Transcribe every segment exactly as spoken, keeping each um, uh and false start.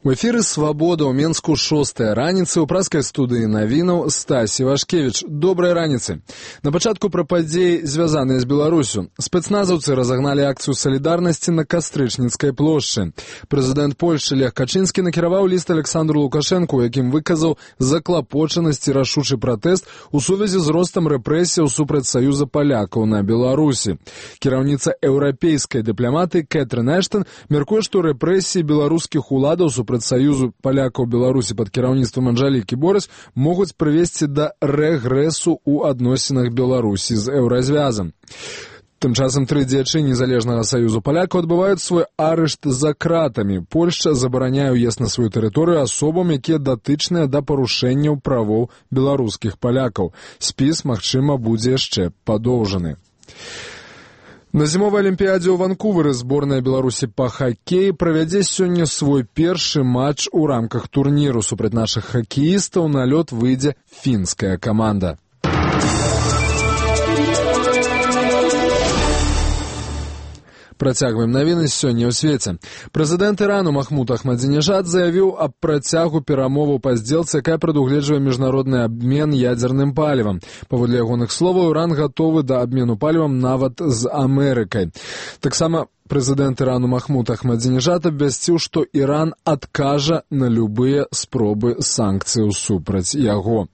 У эфіры «Свабода» ў Менску шостая раніцы ў праскай студыі навінаў Стасі Вашкевіч. Добрай раніцы. На пачатку пра падзеі, звязаныя з Беларусю. Спецназаўцы разагналі акцыю салідарнасці на Кастрычніцкай плошчы. Прэзідэнт Польшчы Лех Качынскі накіраваў ліст Александру Лукашэнку, у якім выказаў заклапочанасць і рашучы пратэст у сувязі з ростам рэпрэсіяў супраць Саюза палякаў на Беларусі. Кіраўніца еўрапейскай дыпламаты Кэтрын Эштон мяркуе, што рэпрэсіі беларускіх уладаў супраць Саюзу палякаў Беларусі пад кіраўніцтвам Анжэлікі Борыс могуць прывесці да рэгрэсу ў адносінах Беларусі з еўразвязам. Тым часам тры дзеячы незалежнага Саюзу палякаў адбываюць свой арышт за кратамі. Польшча забараняе ўезд на сваю тэрыторыю асобам, якія датычныя да парушэнняў правоў беларускіх палякаў. Спіс, магчыма, будзе яшчэ падоўжаны. На зімовай алімпіядзе ў Ванкувары зборная Беларусі па хакеі правядзе сёння свой першы матч у рамках турніру. Супраць нашых хакеістаў на лёд выйдзе фінская каманда. Працягваем навіны сёння ў свеце. Прэзідэнт Ірану Махмуд Ахмадзінежад заявіў аб працягу перамоваў па здзелцы, якая прадугледжвае міжнародны абмен ядзерным палівам. Паводле ягоных словаў, Іран гатовы да абмену палівам нават з Амерыкай. Таксама прэзідэнт Ірану Махмуд Ахмадзінежад абвясціў, што Іран адкажа на любыя спробы санкцыяў супраць яго.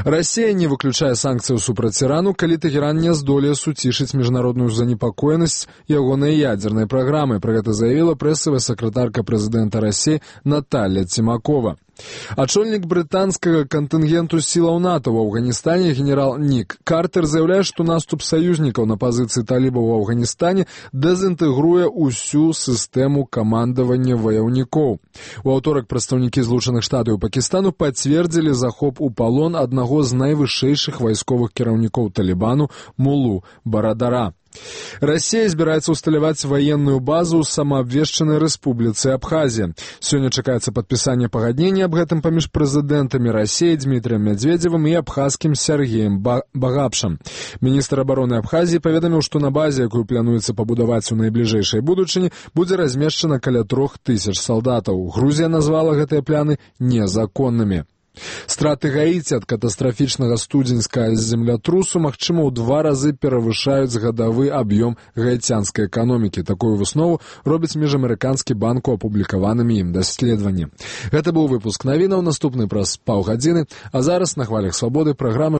Расія не выключае санкцыяў супраць Ірану, калі Тэхеран не здолее суцішыць міжнародную занепакоенасць ягонай ядзернай праграмы. Пра гэта заявіла прэсавая сакратарка прэзідэнта Расіі Наталья Цімакова. Ачольнік брытанскага кантынгенту сілаў НАТО ў Афганістане генерал Нік Картер заяўляе, што наступ саюзнікаў на пазіцыі талібаў у Афганістане дэзінтэгруе ўсю сістэму камандавання ваяўнікоў. У аўторак прадстаўнікі Злучаных Штатаў і Пакістану пацвердзілі захоп у палон аднаго з найвышэйшых вайсковых кіраўнікоў Талібану Мулу Барадара. Расія збіраецца ўсталяваць ваенную базу ў самаабвешчанай рэспубліцы Абхазія. Сёння чакаецца падпісанне пагаднення аб гэтым паміж прэзідэнтамі Расіі Дмітрыем Мядзведзевым і абхазскім Сергеем Багапшам. Міністр абароны Абхазіі паведаміў, што на базе, якую плануецца пабудаваць у найбліжэйшай будучыні, будзе размешчана каля трох тысяч салдатаў. Грузія назвала гэтыя планы незаконнымі. Страты Гаіці ад катастрафічнага студзеньскага землятрусу, магчыма, у два разы перавышаюць гадавы аб'ём гаіцянскай эканомікі. Такую выснову робіць міжамерыканскі банк у апублікаванымі ім даследаванні. Гэта быў выпуск навінаў, наступны праз паўгадзіны, а зараз на хвалях свабоды праграма